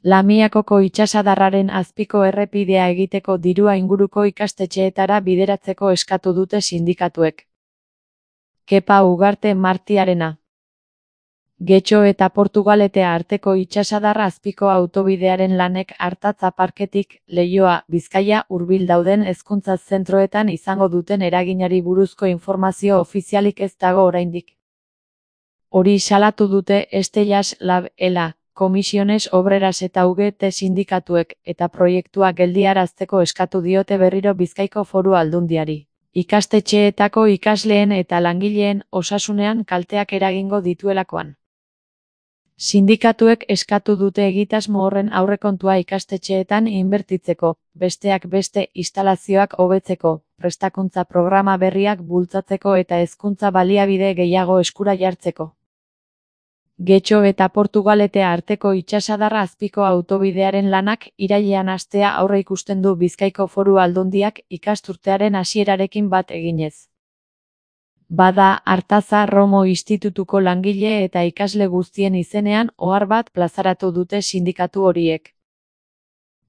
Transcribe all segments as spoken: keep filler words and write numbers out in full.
Lamiakoko itsasadarraren azpiko errepidea egiteko dirua inguruko ikastetxeetara bideratzeko eskatu dute sindikatuek. Kepa Ugarte Martiarena. Getxo eta Portugalete arteko itsasadarra azpiko autobidearen lanek Artatza parketik, Leioa, Bizkaia hurbil dauden hezkuntza zentroetan izango duten eraginari buruzko informazio ofizialik ez dago oraindik. Hori salatu dute Estellas Lab, Ela, Comisiones Obreras eta U G T sindikatuek, eta proiektua geldiarazteko eskatu diote berriro Bizkaiko Foru Aldundiari. Ikastetxeetako ikasleen eta langileen osasunean kalteak eragingo dituelakoan. Sindikatuek eskatu dute egitasmo horren aurrekontua ikastetxeetan inbertitzeko, besteak beste instalazioak hobetzeko, prestakuntza programa berriak bultzatzeko eta hezkuntza baliabide gehiago eskura jartzeko. Getxo eta Portugalete arteko itsasadarra azpiko autobidearen lanak irailean hastea aurreikusten du Bizkaiko Foru Aldundiak ikasturtearen hasierarekin bat eginez. Bada, Artatza Romo Institutuko langile eta ikasle guztien izenean ohar bat plazaratu dute sindikatu horiek.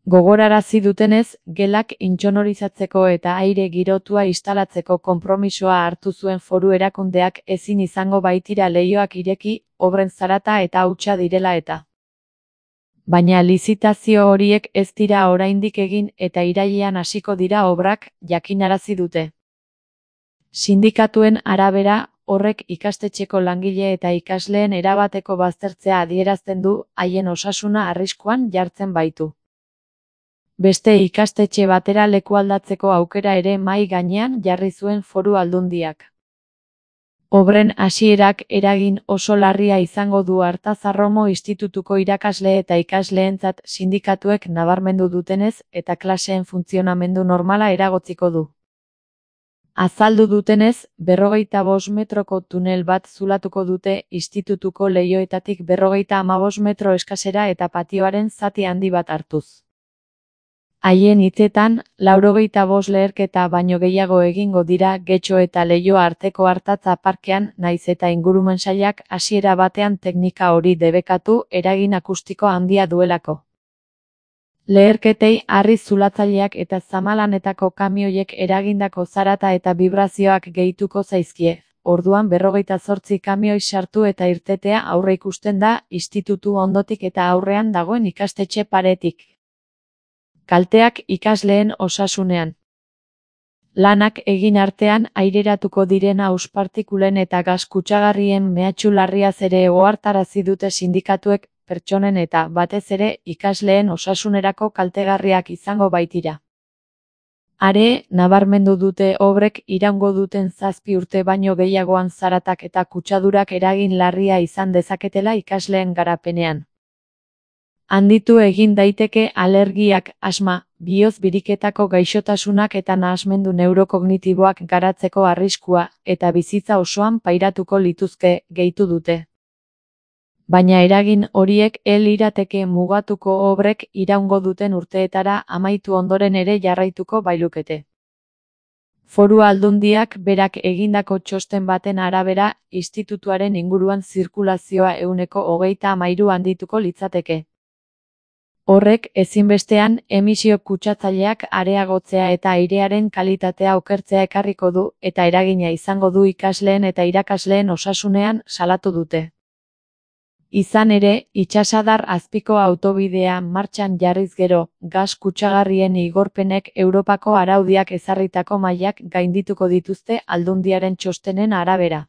Gogorarazi dutenez, gelak intsonorizatzeko eta aire girotua instalatzeko konpromisoa hartu zuen foru erakundeak ezin izango baitira leihoak ireki, obren zarata eta hutsa direla eta. Baina lizitazio horiek ez dira oraindik egin eta irailean hasiko dira obrak, jakinarazi dute. Sindikatuen arabera, horrek ikastetxeko langile eta ikasleen erabateko baztertzea adierazten du, haien osasuna arriskuan jartzen baitu. Beste ikastetxe batera lekualdatzeko aukera ere mahai gainean jarri zuen Foru Aldundiak. Obren hasierak eragin oso larria izango du Artatza Romo Institutuko irakasle eta ikasleentzat sindikatuek nabarmendu dutenez eta klaseen funtzionamendu normala eragotziko du. Azaldu dutenez, berrogeita bost metroko tunel bat zulatuko dute institutuko leihoetatik berrogeita hamabost metro eskasera eta patioaren zati handi bat hartuz. Haien hitzetan, laurogeita bost leherketa baino gehiago egingo dira Getxo eta Leioa arteko Artatza parkean, nahiz eta ingurumen sailak hasiera batean teknika hori debekatu eragin akustiko handia duelako. Leherketei harri zulatzaileak eta zamalanetako kamioiek eragindako zarata eta vibrazioak gehituko zaizkie, orduan berrogeita zortzi kamioi sartu eta irtetea aurreikusten da institutu ondotik eta aurrean dagoen ikastetxe paretik. Kalteak ikasleen osasunean. Lanak egin artean aireratuko diren hauspartikulen eta gas kutsagarrien mehatxu larriaz ere ohartarazi dute sindikatuek, pertsonen eta, batez ere, ikasleen osasunerako kaltegarriak izango baitira. Are, nabarmendu dute obrek iraungo duten zazpi urte baino gehiagoan zaratak eta kutsadurak eragin larria izan dezaketela ikasleen garapenean. Handitu egin daiteke alergiak, asma, bihotz biriketako gaixotasunak eta nahasmendu neurokogniboak garatzeko arriskua, eta bizitza osoan pairatuko lituzke, gehitu dute. Baina eragin horiek el lirateke mugatuko obrek iraungo duten urteetara amaitu ondoren ere jarraituko bailukete. Foru Aldundiak berak egindako txosten baten arabera, institutuaren inguruan zirkulazioa ehuneko hogeita hamairu handituko litzateke. Horrek ezinbestean emisio kutsatzaileak areagotzea eta airearen kalitatea okertzea ekarriko du eta eragina izango du ikasleen eta irakasleen osasunean salatu dute. Izan ere, itsasadar azpiko autobidea martxan jarriz gero, gas kutsagarrien igorpenek Europako araudiak ezarritako mailak gaindituko dituzte Aldundiaren txostenen arabera.